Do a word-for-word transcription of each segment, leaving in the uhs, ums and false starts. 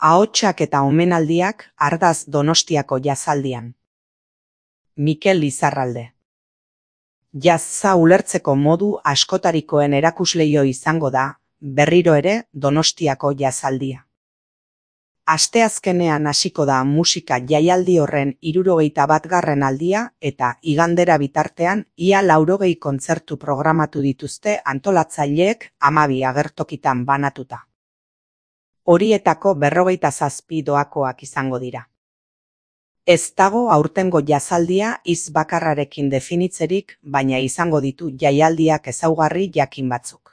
Ahotsak eta omenaldiak Ardaz Donostiako jazaldian. Mikel Lizarralde. Jazza ulertzeko modu askotarikoen erakusleio izango da, berriro ere, Donostiako jazaldia. Asteazkenean hasiko da musika jaialdi horren hirurogeita batgarren aldia eta igandera bitartean ia laurogei kontzertu programatu dituzte antolatzaileek hamabi agertokitan banatuta. Horietako berrogeita zazpi doakoak izango dira. Ez dago aurtengo jazaldia hitz bakarrarekin definitzerik, baina izango ditu jaialdiak ezaugarri jakin batzuk.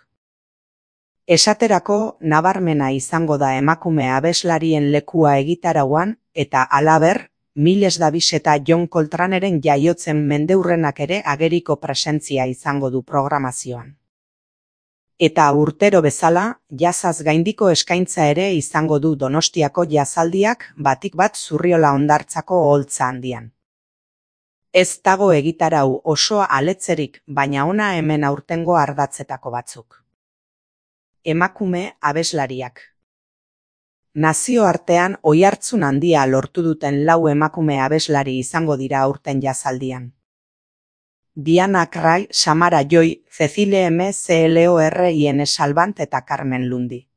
Esaterako, nabarmena izango da emakume abeslarien lekua egitarauan eta halaber, Miles Davis eta John Coltranearen jaiotzen mendeurrenak ere ageriko presentzia izango du programazioan. Eta urtero bezala, jazaz gaindiko eskaintza ere izango du Donostiako jazaldiak batik bat Zurriola hondartzako oholtza handian. Ez dago egitarau osoa aletzerik, baina hona hemen aurtengo ardatzetako batzuk. Emakume abeslariak. Nazioartean oihartzun handia lortu duten lau emakume abeslari izango dira aurten jazaldian. Diana Krall, Samara Joy, Cecile M. Clorien Salvant eta Carmen Lundi.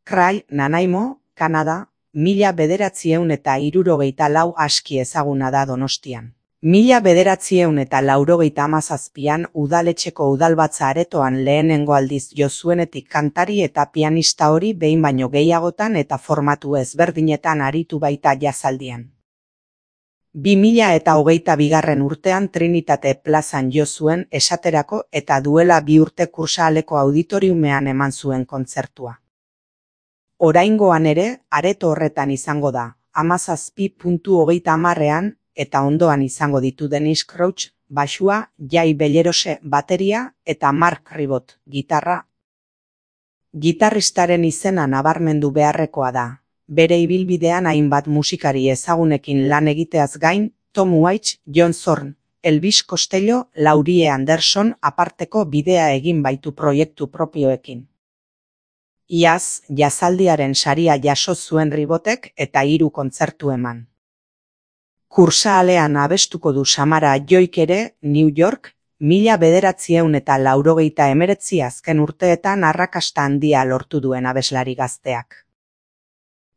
Krall, Nanaimo, Kanada, mila bederatziehun eta hirurogeita lau aski ezaguna da Donostian. Mila bederatziehun eta laurogeita hamazazpian udaletxeko udalbatza aretoan lehenengo aldiz jo zuenetik kantari eta pianista hori behin baino gehiagotan eta formatu ezberdinetan aritu baita jazaldian. Bi mila eta hogeita bigarren urtean Trinitate plazan jo zuen esaterako eta duela bi urte Kursahaleko auditoriumean eman zuen kontzertua. Oraingoan ere, areto horretan izango da, hamazazpi puntu hogeita hamarrean, eta ondoan izango ditu Dennis Crouch, baxua, Jai Bellerose bateria eta Mark Ribot gitarra. Gitarristaren izena nabarmendu beharrekoa da. Bere ibilbidean hainbat musikari ezagunekin lan egiteaz gain, Tom Waits, John Zorn, Elvis Costello, Laurie Anderson aparteko bidea egin baitu proiektu propioekin. Iaz, jazaldiaren saria jaso zuen Ribotek eta hiru kontzertu eman. Kursahalean abestuko du Samara Joyk ere, New York, mila bederatziehun eta laurogeita hemeretzi azken urteetan arrakasta handia lortu duen abeslari gazteak.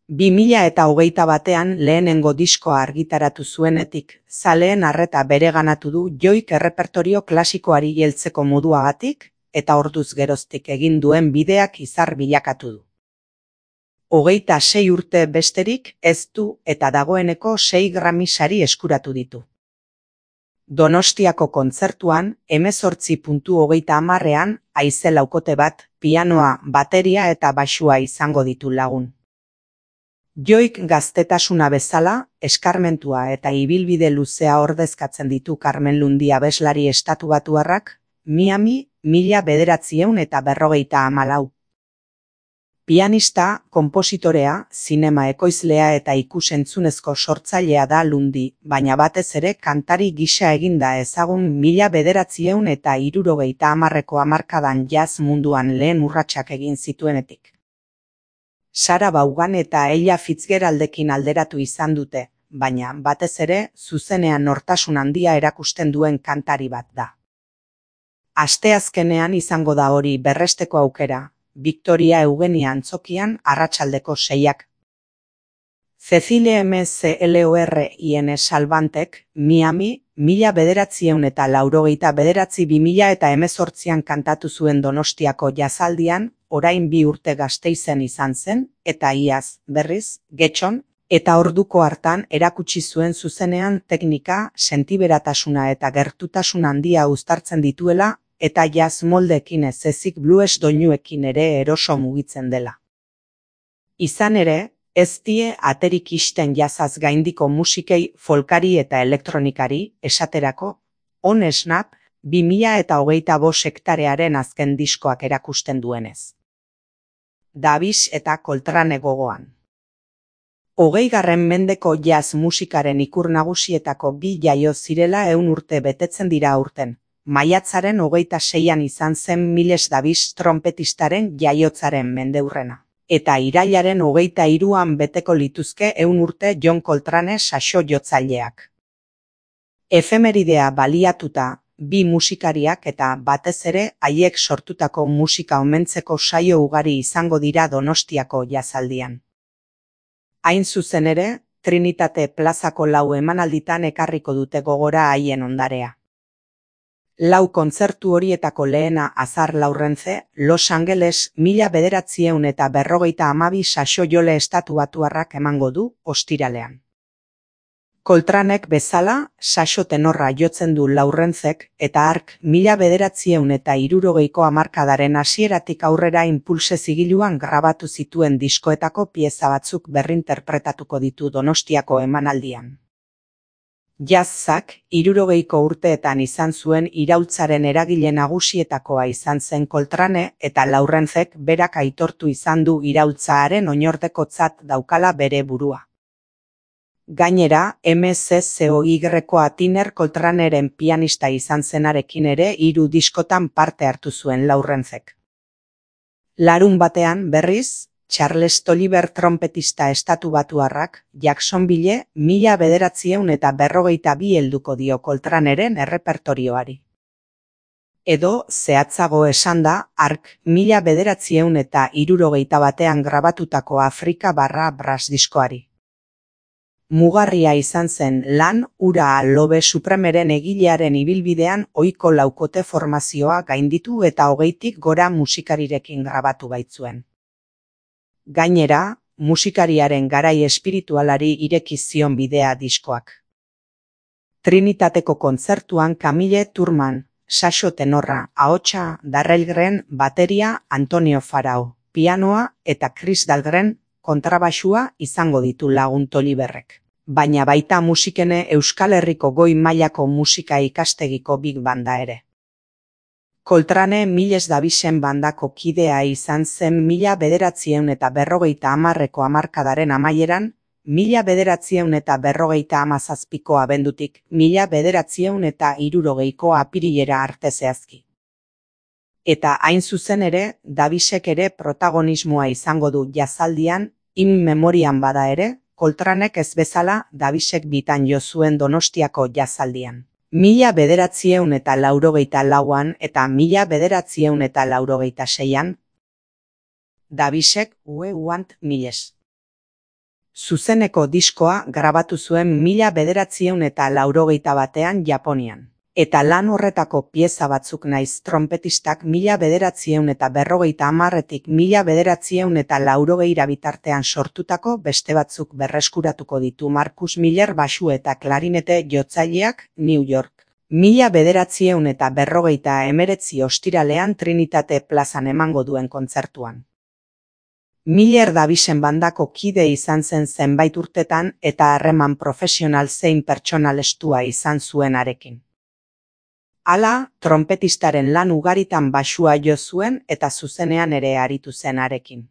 Bi mila eta hogeita batean lehenengo diskoa argitaratu zuenetik, zaleen arreta bereganatu du Joyk errepertorio klasikoari heltzeko moduagatik, eta orduz geroztik egin duen bideak izar bilakatu du. Hogeita sei urte besterik ez du eta dagoeneko sei Grammy sari eskuratu ditu. Donostiako kontzertuan, hemezortzi puntu hogeita hamarrean, haize laukote bat, pianoa, bateria eta baxua izango ditu lagun. Joyk gaztetasuna bezala, eskarmentua eta ibilbide luzea ordezkatzen ditu Carmen Lundi abeslari estatubatuarrak, Miami, mila bederatziehun eta berrogeita hamalau. Pianista, konpositorea, zinema ekoizlea eta ikusentzunezko sortzailea da Lundi, baina batez ere kantari gisa eginda ezagun mila bederatziehun eta hirurogeita hamarreko hamarkadan jazz munduan lehen urratsak egin zituenetik. Sarah Vaughan eta Ella Fitzgeraldekin alderatu izan dute, baina batez ere zuzenean nortasun handia erakusten duen kantari bat da. Asteazkenean izango da hori berresteko aukera, Victoria Eugenia antzokian arratsaldeko seiak. Cecile M. Clorien Salvantek, Miami, mila bederatziehun eta laurogeita bederatzi bi mila eta hemezortzian kantatu zuen Donostiako jazaldian, orain bi urte Gasteizen izan zen, eta iaz, berriz, Getxon, eta orduko hartan erakutsi zuen zuzenean teknika, sentiberatasuna eta gertutasun handia uztartzen dituela, eta jazz moldekin ez ezik blues doinuekin ere eroso mugitzen dela. Izan ere, ez die aterik isten jazaz gaindiko musikei folkari eta elektronikari, esaterako, On Snap, bi mila eta hogeita bost hektarearen azken diskoak erakusten duenez. Davis eta Coltrane gogoan. Hogeigarren mendeko jazz musikaren ikur nagusietako bi jaio zirela ehun urte betetzen dira aurten. Maiatzaren hogeita seian izan zen Miles Davis trompetistaren jaiotzaren mendeurrena. Eta irailaren hogeita hiruan beteko lituzke ehun urte John Coltrane saxo jotzaileak. Efemeridea baliatuta, bi musikariak eta batez ere haiek sortutako musika omentzeko saio ugari izango dira Donostiako jazaldian. Hain zuzen ere, Trinitate plazako lau emanalditan ekarriko dute gogora haien ondarea. Lau kontzertu horietako lehena Azar Laurrence, Los Angeles, mila bederatziehun eta berrogeita hamabi saxo jole estatuatuarrak emango du, ostiralean. Coltranek bezala, saxo tenorra jotzen du Laurrencek, eta hark mila bederatziehun eta hirurogeiko hamarkadaren hasieratik aurrera inpulse zigiluan grabatu zituen diskoetako pieza batzuk berrinterpretatuko ditu Donostiako emanaldian. Jazzak, hirurogeiko urteetan izan zuen iraultzaren eragile nagusietakoa izan zen Coltrane eta Laurrencek berak aitortu izan du iraultzaren oinordekotzat daukala bere burua. Gainera, M Z C O Y-ko Tiner Coltraneren pianista izan zenarekin ere hiru diskotan parte hartu zuen Laurrencek. Larun batean, berriz, Charles Tolliver trompetista estatubatuarrak, Jacksonville, mila bederatziehun eta berrogeita bi helduko dio Coltraneren errepertorioari. Edo, zehatzago esanda, hark mila bederatziehun eta hirurogeita batean grabatutako Afrika barra brass diskoari. Mugarria izan zen lan ura Lobe Supremeren egilearen ibilbidean ohiko laukote formazioa gainditu eta hogeitik gora musikarirekin grabatu baitzuen. Gainera, musikariaren garai espiritualari ireki zion bidea diskoak. Trinitateko kontzertuan Camille Turman, saxo tenorra, ahotsa, Darrell Green, bateria, Antonio Farao, pianoa eta Chris Dahlgren, kontrabaxua izango ditu lagun Tolliverrek. Baina baita musikene Euskal Herriko goi mailako musika ikastegiko big banda ere. Coltrane Miles Davisen bandako kidea izan zen mila bederatziehun eta berrogeita hamarreko hamarkadaren amaieran, mila bederatziehun eta berrogeita hamazazpiko abendutik, mila bederatziehun eta hirurogeiko apirilera arte zehazki. Eta hain zuzen ere, Davisek ere protagonismoa izango du jazaldian, in memorian bada ere, Coltranek ez bezala Davisek bitan jo zuen Donostiako jazaldian. Mila bederatziehun eta laurogeita lauan eta mila bederatziehun eta laurogeita seian, Davisek We Want Miles. Zuzeneko diskoa grabatu zuen mila bederatziehun eta laurogeita batean Japonian. Eta lan horretako pieza batzuk naiz trompetistak mila bederatziehun eta berrogeita hamarretik mila bederatziehun eta laurogeira bitartean sortutako beste batzuk berreskuratuko ditu Marcus Miller baxu eta klarinete jotzaileak New York. Mila bederatziehun eta berrogeita hemeretzi ostiralean Trinitate plazan emango duen kontzertuan. Miller Davisen bandako kide izan zen zenbait urtetan eta harreman profesional zein pertsonal estua izan zuenarekin. Hala, trompetistaren lan ugaritan baxua jo zuen eta zuzenean ere aritu zenarekin.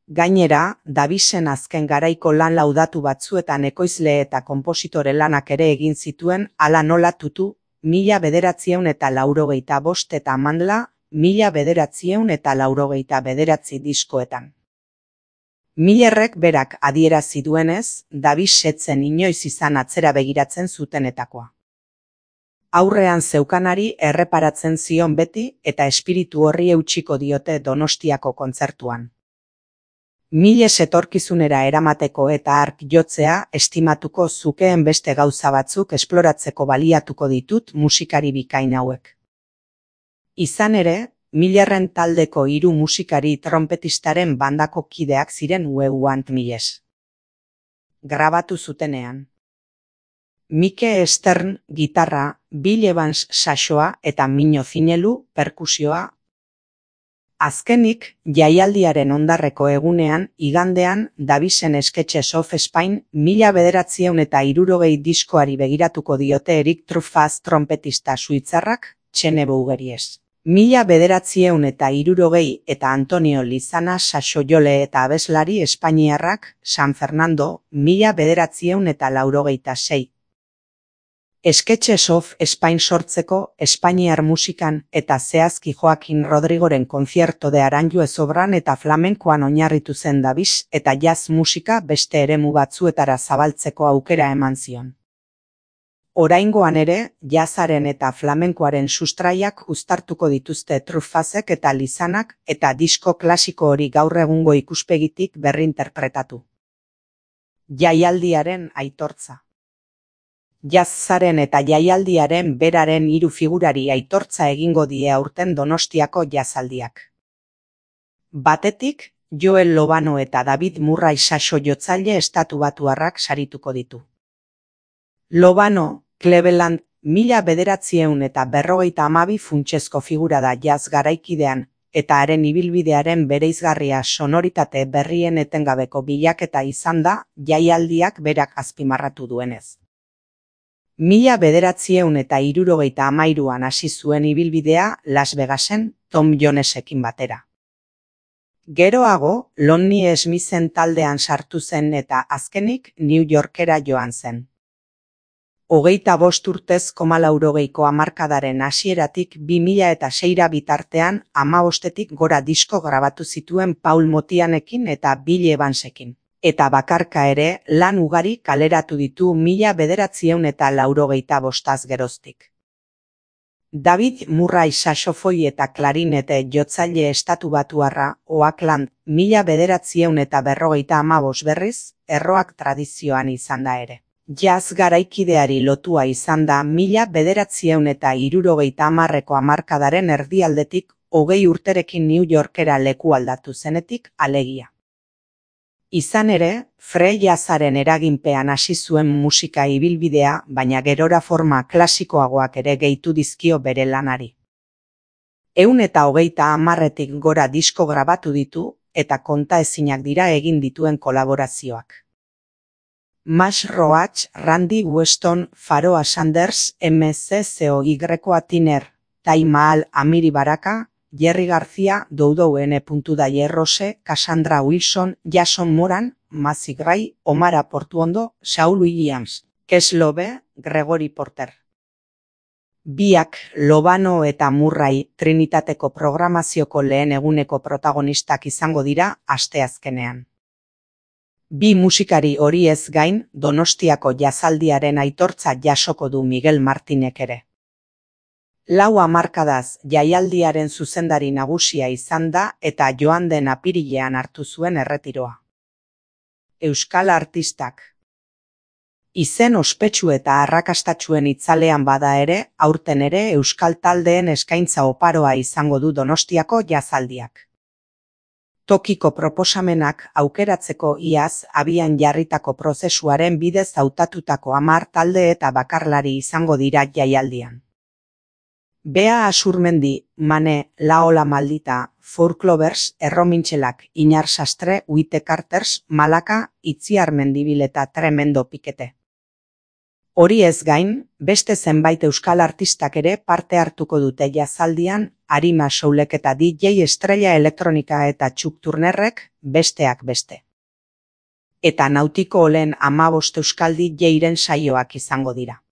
Gainera, Davisen azken garaiko lan laudatu batzuetan ekoizle eta konpositore lanak ere egin zituen hala nola tutu, mila bederatziehun eta laurogeita bost eta mandla, mila bederatziehun eta laurogeita bederatzi diskoetan. Millerrek berak adierazi duenez, Davis setzen inoiz izan atzera begiratzen zutenetakoa. Aurrean zeukanari erreparatzen zion beti eta espiritu horri eutsiko diote Donostiako kontzertuan. Miles etorkizunera eramateko eta hark jotzea estimatuko zukeen beste gauza batzuk esploratzeko baliatuko ditut musikari bikain hauek. Izan ere, Millerren taldeko hiru musikari trompetistaren bandako kideak ziren We Want Miles. Grabatu zutenean. Mike Stern, gitarra, Bill Evans saxoa eta Mino Zinelu, perkusioa. Azkenik, jaialdiaren ondarreko egunean, igandean, Davisen Sketches of Spain, mila bederatziehun eta hirurogei diskoari begiratuko diote Eric Truffaz trompetista suitzarrak, Txene Bougeries. Mila bederatziehun eta hirurogei eta Antonio Lizana saxo jole eta abeslari espainiarrak, San Fernando, mila bederatziehun eta laurogeita sei. Sketches of Spain sortzeko espainiar musikan eta zehazki Joaquin Rodrigoren Concierto de Aranjuez obran eta flamenkoan oinarritu zen dabiz eta jazz musika beste eremu batzuetara zabaltzeko aukera eman zion. Oraingoan ere, jazzaren eta flamenkoaren sustraiak uztartuko dituzte Truffazek eta Lizanak eta disko klasiko hori gaur egungo ikuspegitik berrinterpretatu. Jaialdiaren aitortza. Jazzaren eta jaialdiaren beraren hiru figurari aitortza egingo die aurten Donostiako jazaldiak. Batetik, Joel Lobano eta David Murray saxo jotzaile estatubatuarrak sarituko ditu. Lobano, Cleveland, mila bederatziehun eta berrogeita hamabi funtsezko figura da jazz garaikidean, eta haren ibilbidearen bereizgarria sonoritate berrien etengabeko bilaketa izan da jaialdiak berak azpimarratu duenez. Mila bederatziehun eta hirurogeita hamairuan hasi zuen ibilbidea Las Vegasen Tom Jonesekin batera. Geroago, Lonnie Smithen taldean sartu zen eta azkenik New Yorkera joan zen. Hogeita bost urtez komalaurogeiko hamarkadaren hasieratik bi mila eta seira bitartean hamabostetik gora disko grabatu zituen Paul Motianekin eta Bill Evansekin. Eta bakarka ere lan ugari kaleratu ditu mila bederatziehun eta laurogeita bostaz geroztik. David Murray saxofoi eta klarinete jotzaile estatubatuarra Oakland mila bederatziehun eta berrogeita hamabost berriz, erroak tradizioan izan da ere. Jazz garaikideari lotua izan da mila bederatziehun eta hirurogeita hamarreko hamarkadaren erdialdetik hogei urterekin New Yorkera leku aldatu zenetik alegia. Izan ere, free jazzaren eraginpean hasi zuen musika ibilbidea, baina gerora forma klasikoagoak ere gehitu dizkio bere lanari. Ehun eta hogeita hamarretik gora disko grabatu ditu eta kontaezinak dira egin dituen kolaborazioak. Max Roach, Randy Weston, Pharoah Sanders, M C C O Y Tiner, Tai Mahal, Amiri Baraka, Jerry García, Doudou N. Daye Rose, Cassandra Wilson, Jason Moran, Macy Gray, Omara Portuondo, Saul Williams, Kes Lobe, Gregory Porter. Biak, Lobano eta Murray, Trinitateko programazioko lehen eguneko protagonistak izango dira asteazkenean. Bi musikari horiez gain, Donostiako jazaldiaren aitortza jasoko du Miguel Martinek ere. Lau hamarkadaz jaialdiaren zuzendari nagusia izan da eta joan den apirilean hartu zuen erretiroa. Euskal artistak. Izen ospetsu eta arrakastatsuen itzalean bada ere, aurten ere euskal taldeen eskaintza oparoa izango du Donostiako jazaldiak. Tokiko proposamenak aukeratzeko iaz abian jarritako prozesuaren bidez hautatutako hamar talde eta bakarlari izango dira jaialdian. Bea Asurmendi, Mane, La Ola Maldita, Folklovers, Erromintxelak, Inar Sastre, Uite Carters, Malaka, Itziar Mendibil eta Tremendo Pikete. Hori ez gain, beste zenbait euskal artistak ere parte hartuko dute jazaldian, Arima Soulek eta D J Estrella Elektronika eta Chuck Turnerrek, besteak beste. Eta Nautiko Olen hamabost euskal D J-ren saioak izango dira.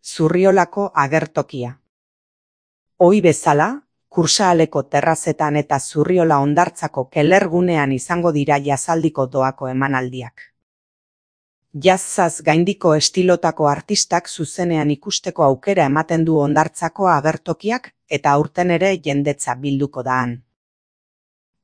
Zurriolako agertokia. Ohi bezala, Kursaaleko terrazetan eta Zurriola hondartzako kelergunean izango dira jazaldiko doako emanaldiak. Jazzaz gaindiko estilotako artistak zuzenean ikusteko aukera ematen du hondartzako agertokiak eta aurten ere jendetza bilduko daan.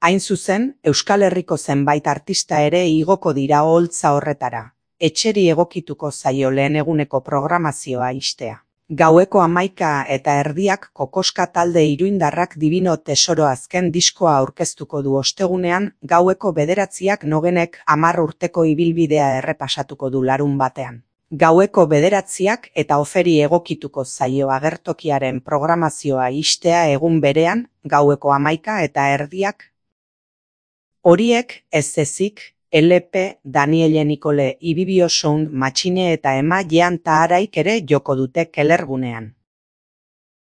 Hain zuzen, Euskal Herriko zenbait artista ere igoko dira oholtza horretara, etxeri egokituko zaio lehen eguneko programazioa ixtea. Gaueko hamaika eta erdiak Kokoska talde iruindarrak Divino Tesoro azken diskoa aurkeztuko du ostegunean, gaueko bederatziak Nogenek hamar urteko ibilbidea errepasatuko du larun batean. Gaueko bederatziak eta oferi egokituko zaio agertokiaren programazioa ixtea egun berean, gaueko hamaika eta erdiak. Horiek ez ezik, L P, Daniele Nicole, Ibibio Sound, Matxine eta Ema Jean Taharaik ere joko dute kelergunean.